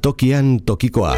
Tokian tokikoa.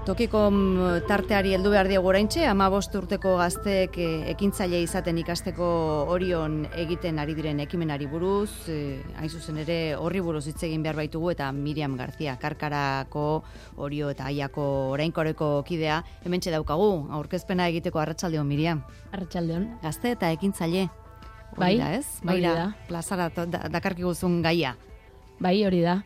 Tokiko tarteari heldu behar diogu oraintxe, 15 urteko gazteek ekintzaile izaten ikasteko Orion egiten ari diren ekimenari buruz, hain zuzen ere horri buruz hitz egin behar baitugu, eta Miriam García, Karkarako, Orio eta Aiako orainkoreko kidea, hementxe daukagu, aurkezpena egiteko. Arratsaldeon, Miriam. Arratsaldeon. Gazte eta ekintzaile. Bai, da, ez? Baira, plazara dakarkiguzun gaia. Bai, hori da.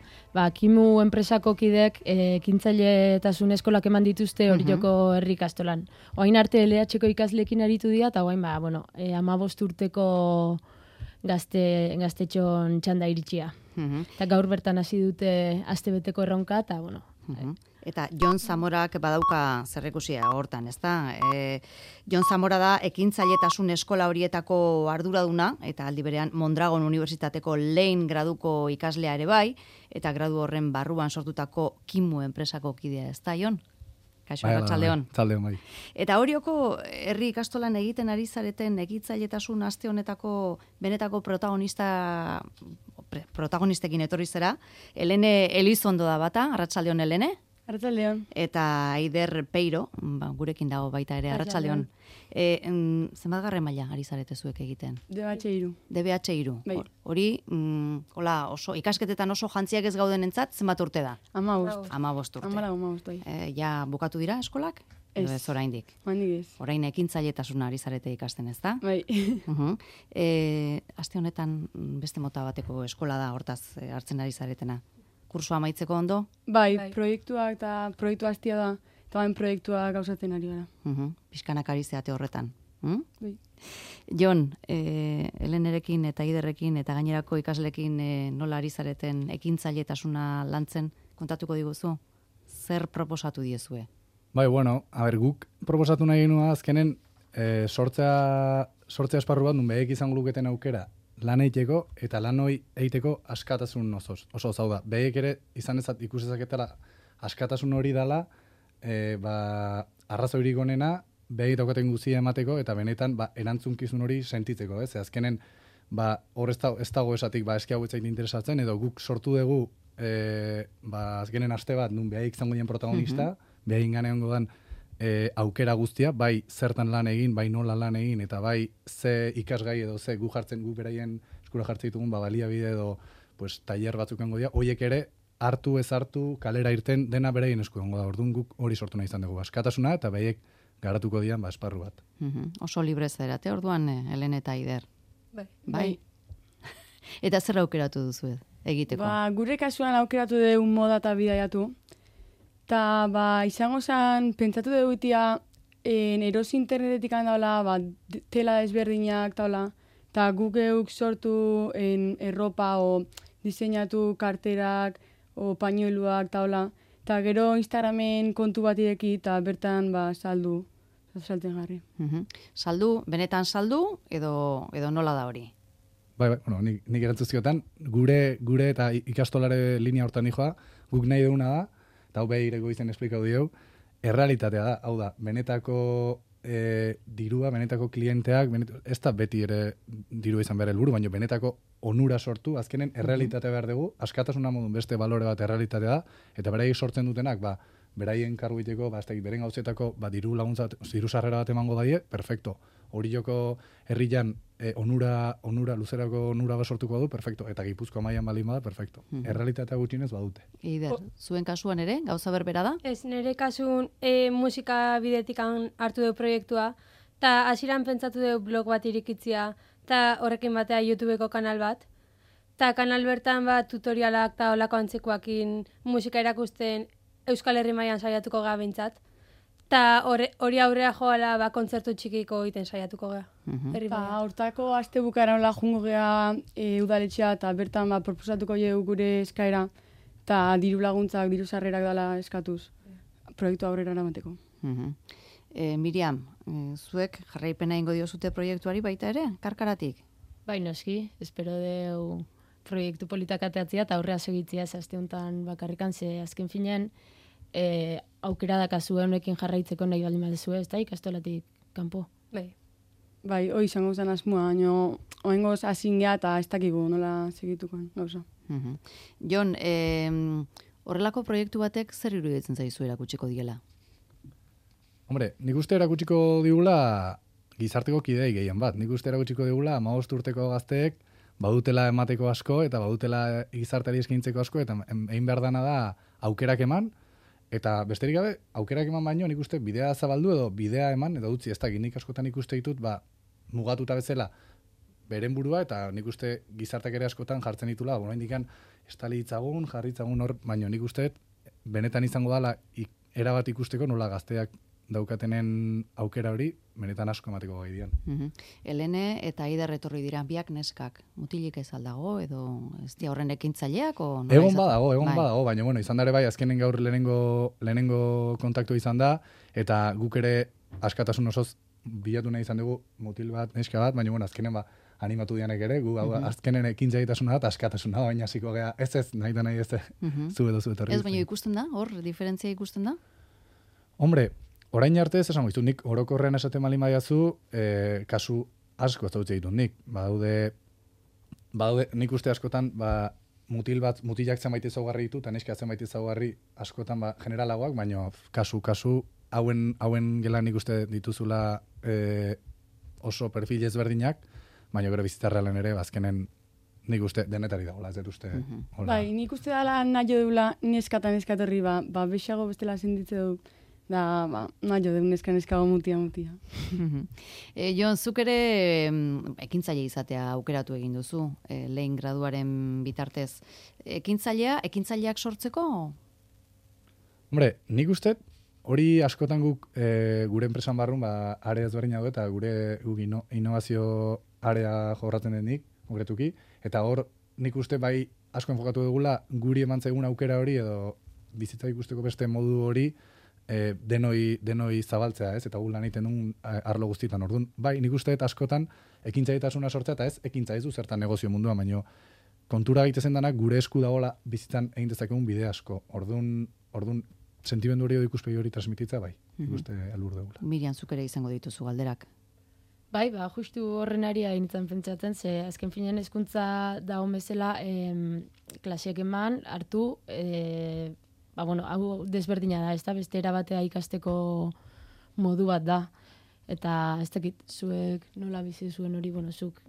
Kimu enpresako kideek ekintzailetasun eskolak eman dituzte Orioko herri ikastolan. Orain arte LH-ko ikasleekin aritu dira, eta orain 15 urteko gaztetxon txanda iritsia. Eta gaur bertan hasi dute astebeteko erronka, eta Eta Jon Zamorak badauka zerrekusia hortan, ezta? Jon Zamora da ekintzailetasun eskola horietako arduraduna, eta aldi berean Mondragon Unibertsitateko lehen graduko ikaslea ere bai, eta gradu horren barruan sortutako Kimu enpresako kidea, ezta, Jon? Kaixo, arratsaldeon. Arratsaldeon, bai. Eta Orioko herri ikastolan egiten ari zareten ekintzailetasun aste honetako benetako protagonistekin etorri zera. Helene Elizondo da bata, arratsaldeon, Helene. Arratsaldeon. Eta Aider Peiro, gurekin dago baita ere, arratsaldeon. Zenbatgarren maila ari zarete zuek egiten? DBH3. DBH3. Bai. Hori, oso ikasketetan oso jantziak ez gaudenentzat, zenbat urte da? 15. 15 urte. 15, bai. Ja bukatu dira eskolak? Ez. Ez oraindik. Oraindik ez. Orain ekintzailetasuna ari zarete ikasten, ezta? Bai. Aste honetan beste mota bateko eskola da, hortaz hartzen ari zaretena. Kursua amaitzeko ondo? Bai, proiektuak eta proiektu hastia da, eta bain proiektuak gauzatzen ari gara. Pixkanak ari zeate horretan. Bai. Jon, Helenerekin eta Aiderrekin eta gainerako ikaslekin nola ari zareten ekintzailetasuna lantzen kontatuko diguzu? Zer proposatu diezue? Bai, guk proposatu nahi genua azkenen sortzea esparru bat, nun behek izango luketen aukera lan eiteko eta lan hori eiteko askatasun oso zau da. Behek ere izan ezat ikusezaketela askatasun hori dela, arrazoirik onena, behek daukaten guzia emateko eta benetan erantzunkizun hori sentitzeko, ez? Azkenen, hor ez dago esatik, eski hau etzait interesatzen, edo guk sortu dugu azkenen aste bat, nun behek izango dien protagonista, behek inganean godan aukera guztia, bai zertan lan egin, bai nola lan egin, eta bai ze ikasgai edo ze gu beraien eskura jartzen ditugun baliabide edo tailer batzuk engo dira, horiek ere hartu ez hartu, kalera irten, dena beraien esku engo da, orduan guk hori sortu nahi izan dugu, askatasuna eta behaiek garatuko dian esparru bat. Oso libre zerate, orduan Helene eta Aider. Bai. Eta zer aukeratu duzu egiteko? Gure kasuan aukeratu dugu moda eta bidaiatu. Eta, izango zen, pentsatu dugu itia, erosi internetetik handaula, tela desberdinak, eta guk euk sortu erropa o diseinatu karterak o pañueluak, eta gero Instagramen kontu bat ireki, eta bertan, saldu, salten jarri. Saldu, benetan saldu, edo nola da hori? Bai, nik erantzuziotan, gure eta ikastolare linea hortan nijoa, guk nahi duguna da, eta hau behireko izan esplikau dieu, errealitatea da, hau da, benetako dirua, benetako klienteak, ez da beti ere dirua izan behar helburu, baina benetako onura sortu, azkenen errealitatea behar dugu, askatasuna modun beste balore bat errealitatea da, eta beraiek sortzen dutenak, beraien karguiteko, beren gauzetako, diru laguntza, diru sarrera bat emango daie, perfecto. Orioko herrian onura, luzerako onura bat sortuko du, perfecto. Eta Gipuzkoa mailan baldin bada, perfecto. Errealitatea gutxienez badute. Eider, zuen kasuan ere, gauza berbera da? Ez, nire kasun musika bidetik hartu du proiektua, eta hasieran pentsatu du blog bat irikitzia, eta horrekin batea YouTubeko kanal bat. Eta kanal bertan tutorialak eta olako antzekoakin musika erakusten Euskal Herri mailan saiatuko gea bintzat. Ta hori aurrea joala ba, kontzertu txikiko egiten saiatuko gea. Herri mailan. Hortako aste bukaeran hola jungo gea udaletxea eta bertan ba, proposatuko jeu gure eskaera eta diru laguntzak, diru sarrerak dela eskatuz. Proiektu aurrera eramateko. Miriam, zuek jarraipena ingo diozute proiektuari baita ere, karkaratik? Bai, noski, espero deu proiektu politak ateatzea eta aurrea segitzea aste honetan bakarrikan, ze azken finean aukera dakazu honekin jarraitzeko nahi baldin baduzu, ez da ikastolatik kanpo. Bai, hoi izango zen asmoa, baina oengoz hazin gea eta ez dakigu nola segitukoan, gauza. Jon, horrelako proiektu batek zer iruditzen zaizu erakutsiko diela? Hombre, nik uste erakutsiko digula gizarteko kidei gehien bat. Nik uste erakutsiko digula 15 urteko gazteek badutela emateko asko eta badutela gizarteari eskaintzeko asko eta egin behar dana da aukerak eman eta besterik gabe aukerak eman baino nik uste bidea zabaldu edo bidea eman edo utzi ez da nik askotan ikuste ditut mugatuta bezala beren burua eta nik uste gizartak ere askotan jartzen ditula oraindikan estali ditzagun, jarri ditzagun hor, baino nik uste benetan izango dela erabat ikusteko nola gazteak daukatenen aukera hori, benetan asko emateko gai dian. Helene eta Aider etorri dira biak neskak. Mutilik ez aldago edo ez dia horren ekintzaileak? Egon badago, baina bueno, izan dare bai, azkenen gaur lehenengo kontaktu izan da, eta guk ere askatasun osoz bilatu nahi izan dugu mutil bat, neska bat, baina bueno, azkenen animatu dianek ere, gu azkenen ekintzailetasuna da, askatasuna, baina hasiko gea, ez, nahi da nahi ez, zu edo zu etorri. Ez, baina ikusten da, hor, diferentzia ikusten da? Hombre, orain arte ez esango ditu, nik orokorrean esaten malin badiazu, kasu asko ez dautze ditut nik. Badaude, nik uste askotan, mutilak zenbait ezaugarri ditu, eta neska zenbait ezaugarri askotan generalagoak, baina kasu hauen gelan nik uste dituzula oso perfil ezberdinak, baina gero bizitzarrealen ere, azkenen nik uste denetari dagoela, ez dut uste. Bai, nik uste dela nahi dula neska eta neskatorri, bexago bestela senditze dut. Da, nahi jo, neska mutia. Jon, zuk ere ekintzaile izatea aukeratu egin duzu, lehen graduaren bitartez. Ekintzaileak sortzeko? Hombre, nik uste, hori askotan guk gure enpresan barrun, area ezberdina du eta guk innovazio area jorratzen denik, konkretuki, eta hor nik uste bai asko enfokatu dugula guri eman zaigun aukera hori edo bizitza ikusteko beste modu hori denoi zabaltzea, ez? Eta gu lan egiten duen arlo guztietan. Orduan, bai, nik uste askotan ekintzailetasuna sortzea eta ez ekintza ez du zertan negozio munduan, baino kontura egitezen danak gure esku dagoela bizitzan egin dezakegun bide asko. Orduan sentimendu hori ikuspegi hori transmititza bai. Ikuste helburu dugula. Miriam, zuk ere izango dituzu galderak. Bai, justu horren ari nintzen pentsatzen, ze azken finean hezkuntza dago bezala klaseak eman, hartu, hau desberdina da, ez da, beste erabatea ikasteko modu bat da. Eta ez dakit, zuek nola bizi zuen hori, zuk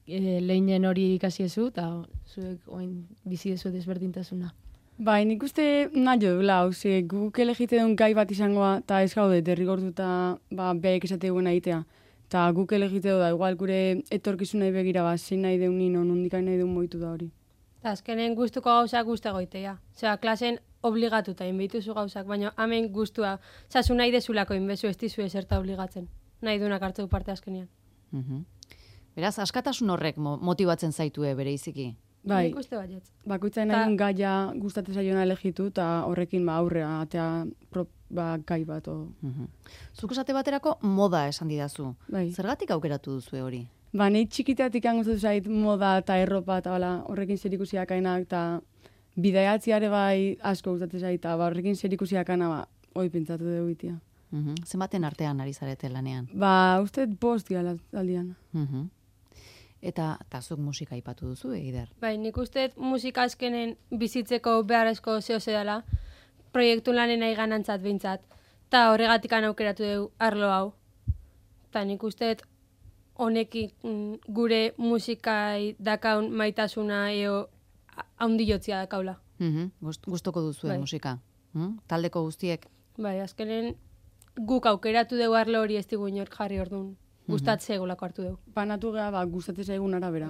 lehinen hori ikasi ezu, eta zuek oin bizi ezu desberdintasuna. Bai, nik uste nahi dugula, guk elegite duen gai bat izangoa, eta ez gaude, derrigortuta behek esate duen egitea. Eta guk elegite du da, igual gure etorkizunei begira, zein nahi deun nino, nondikai nahi deun moitu da hori. Eta azkenen gustuko gauzak guzti goitea. Osea, klasen obligatuta inbituzu gauzak, baina hemen gustua. Osea, zu nahi dezulako inbezu ez dizu ezerta obligatzen. Nahi duenak hartzeu parte azkenean. Beraz, askatasun horrek motibatzen zaitue bere iziki? Bai, Nik uste baietz. bakoitza nahi duen gaia gustatzen zaiona elegitu, eta horrekin aurrea, atea gai bat. Zuk esate baterako moda esan didazu. Bai. Zergatik aukeratu duzue hori? Nahi txikitatik gustatu zait moda eta erropa eta horrekin zerikusiak ainak eta bidaiatziare bai asko gustatzen zait eta horrekin zerikusiak aina hoi pentsatu dugu itia. Zenbaten artean ari zarete lanean? Uste 5 dira aldian. Eta zuk musika aipatu duzu, Eider? Bai, nik uste musika azkenen bizitzeko beharrezko zehose dela, proiektu lanen nahi ganantzat behintzat, eta horregatik aukeratu dugu arlo hau. Eta nik uste honekin gure musikai dakaun maitasuna eo haundiotzia dakaula. Gustoko duzu musika? Taldeko guztiek? Bai, azkenen guk aukeratu dugu arlo hori ez digu inork jarri orduan. Gustatzea egolako hartu dugu. Banatu geha, gustatzen zaigun arabera.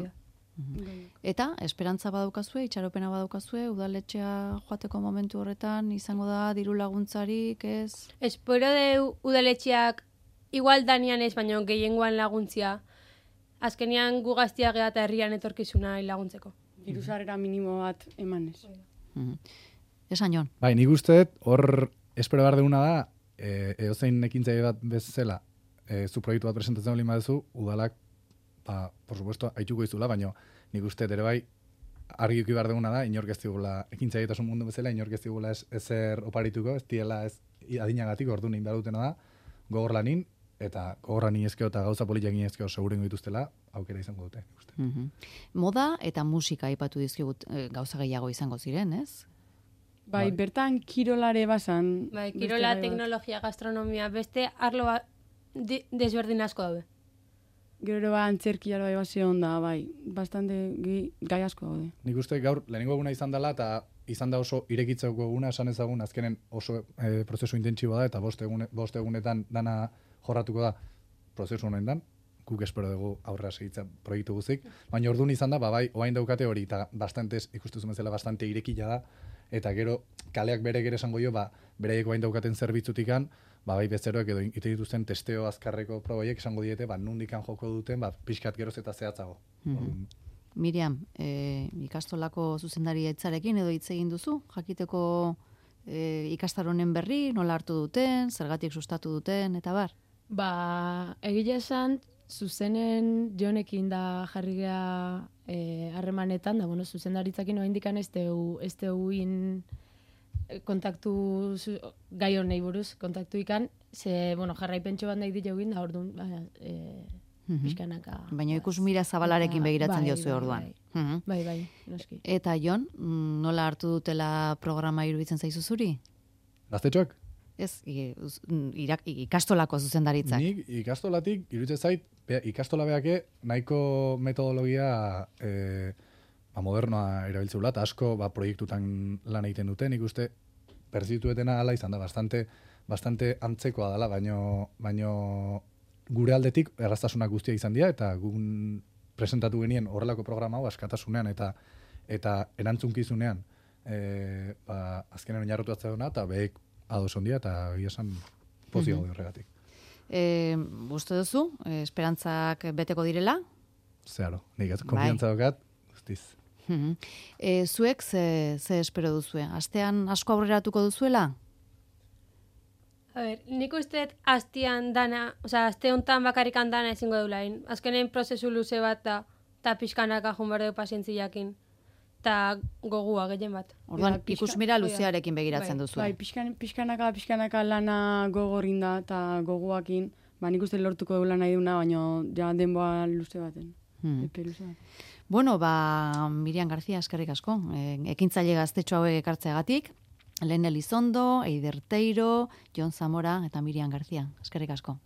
Eta, esperantza badaukazue, itxaropena badaukazue, udaletxea joateko momentu horretan, izango da, diru laguntzarik, ez? Espero de udaletxeak igual danian ez, baina gehiengoan laguntzia. Azkenean gu gaztia geha eta herrian etorkizuna laguntzeko. Diruzarera minimo bat emanez. Esan Jon. Bai, nik uste, hor espero behar duguna da, edozein ekintzaile bat bezala, zu proiektu bat presentatzen olin baduzu, udalak, por supuesto, haituko izula, baina nik uste ere bai, argi uki behar duguna da, inork ez digula, ekintzailetasun mundu bezala, inork ez digula ezer oparituko, ez diela ez adinagatik, ordu nein behar dutena da, gogor lanin, eta gogorra ninezkeo eta gauza politak ninezkeo segurengo dituztela, aukera izango dute. Uste. Moda eta musika aipatu dizkigut gauza gehiago izango ziren, ez? Bai, bertan kirolare basan. Bai, kirola, teknologia, gastronomia, beste arlo desberdin asko daude. Gero antzerkia bai base onda, bai, bastante gai asko daude. Nik uste gaur lehenengo eguna izan dela eta izan da oso irekitzeko eguna, esan ezagun azkenen oso prozesu intentsiboa da eta bost egunetan dana jorratuko da prozesu honen guk espero dugu aurrera segitza proiektu guzik, baina orduan izan da, bai, oain daukate hori eta bastantez, ikustu bezala bastante irekila da, eta gero kaleak bere gere esango jo, beraiek oain daukaten zerbitzutikan, bai bezeroek edo ite dituzten testeo azkarreko probaiek esango diete, nundikan joko duten, pixkat geroz eta zehatzago. Miriam, ikastolako zuzendari etzarekin edo hitz egin duzu, jakiteko ikastaronen berri, nola hartu duten, zergatik sustatu duten, eta bar? Egia esan, zuzenen Jonekin da jarri geha harremanetan, da, zuzendaritzakin oaindikan ez deuin kontaktu gai honei buruz, kontaktu ikan, jarraipentxo bat nahi ditu egin, da orduan, pixkanaka. Baina ikus mira zabalarekin begiratzen diozu orduan. Bai, noski. Eta Jon, nola hartu dutela programa iruditzen zaizu zuri? Gaztetxoak? Ez, ikastolako zuzendaritzak. Nik ikastolatik, iruditzen zait, ikastola beake nahiko metodologia modernoa erabiltzeula, eta asko proiektutan lan egiten dute, nik uste perzituetena ala izan da, bastante antzekoa dela, baino gure aldetik erraztasunak guztia izan dira, eta gun presentatu genien horrelako programa hau askatasunean eta erantzunkizunean azkenen oinarrotu atzadona, eta behek ados ondia, eta egia esan pozio gaude horregatik. Uste duzu, esperantzak beteko direla? Zeharo, nik konfiantza dokat, guztiz. Zuek ze espero duzue? Astean asko aurreratuko duzuela? Nik usteet astean dana, aste hontan bakarrikan dana ezingo deulain. Azkenen prozesu luze bat da, eta pixkanaka jun behar dugu pazientziakin. Eta gogua gehien bat. Orduan, ikusmira luzearekin begiratzen duzu. Bai, pixkanaka lana gogorin da, eta goguakin, nik uste lortuko dugu nahi duna, baina ja denboa luze baten. Epe luze bat. Bueno, Miriam García, eskerrik asko. Ekintzaile gaztetxo hauek ekartzeagatik. Lehen Elizondo, Eider Teiro, Jon Zamora eta Miriam García. Eskerrik asko.